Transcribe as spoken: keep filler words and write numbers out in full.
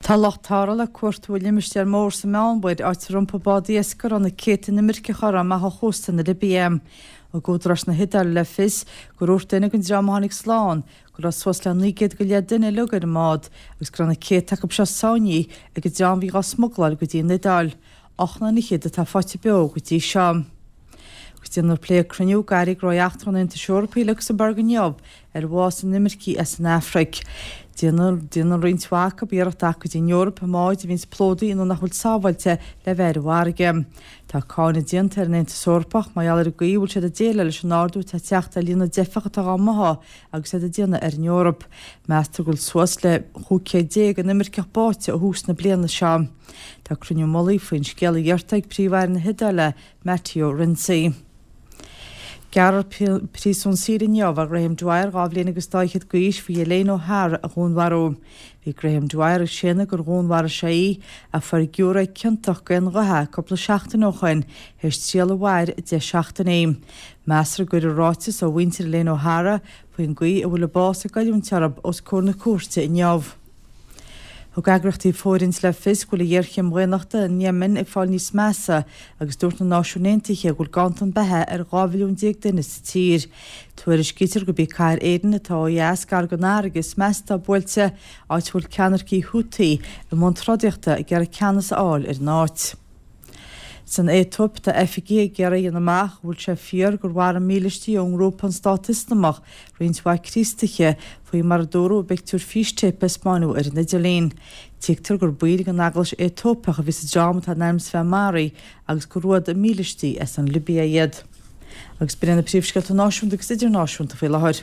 Tá lucht tarrthála ag cuartú i limistéar mór sa Meánmhuir, áit ar iompaigh bád iascaigh a raibh na céadta inimirceach orthu amach ó chósta na Libia. Thug údaráis na hIodáile le fios gur dhúirt duine den dream a tháinig slán go raibh suas le naoi gcéad go leith duine uilig ar an mbád agus go raibh na céadta acu seo sáinnithe ag an dream a bhí dhá smugláil go dtí an Iodáil. Ocht nduine fhichead atá faighte beo go dtí seo. Agus déanfar plé ag cruinniú ag Airí Gnóthaí Eachtracha an Aontais Eorpaigh i Lucsamburg inniu ar bhfás inimircigh as an Afraic. Déanann déanann roinnt mhaith acu iarracht teacht go dtí an Eoraip i mbáid a bhíonns plódaithe nó nach bhfuil sábháilte le bheith ar an bhfarraige. Tá cáineadh déanta ar an Aontas Eorpach mar gheall ar an gcaoi a bhfuil siad ag déileáil leis an ardú atá ag teacht ar líon na dteifeach atá dhá mbáthadh agus iad ag déanamh ar an Eoraip. Meastar go bhfuil suas le chúig chéad déag inimirceach báite ó thús na bliana seo. Tá cruinniú mullaigh faoin scéal iarrtha ag Príomh-Aire na hIodáile, Matteo Renzi. Gearrfar príosún saoil inniu ar Graham Dwyer dhá bhliain agus dá fhichead d'aois faoi Elaine O'Hara a dhúnmharú. Bhí Graham Dwyer ag séanadh gur dhúnmharaigh sé í ach fuair giúiré ciontach d'aon ghuth é cúpla seachtain ó shoin théis triail a mhair deich seachtainí. Meastar go gcuirfear ráiteas ó mhuintir Elaine O'Hara faoin gcaoi a bhfuil a bás ag goilliúint orthu os comhair na cúirte inniu. Thug eagraíochtaí fóirithint le fios go bhfuil an ghéarchéim dhaonnachta in Yemen ag fáil níos measa agus dúirt na Náisiúin Aontaithe go bhfuil ganntan beatha ar dhá mhilliún déag duine sa tír. Tuairiscítear gurb í cathair Aden atá ó dheas gar don fharraige is measa atá buailte, áit a bhfuil ceannaircigh Houthi i mbun trodaíochta ag iarraidh ceannas a fháil ar an áit. San Aetóip tá oifigigh ag iarraidh a dhéanamh amach an bhfuil sé fíor gur mharaigh mílístí ón ngrúpa an Stát Ioslamach roinnt mhaith Críostaithe, faoi mar a dúradh i bpictiúir fístéipe a spáineadh ar an idirlíon. Tuigtear gur baill den Eaglais Aetóipeach a bhí sa dream atá in ainm is a bheith maraithe agus gur ruadh mílístí as an Libia iad. Agus b'in iad na príomhscéalta náisiúnta agus idirnáisiúnta faoi láthair.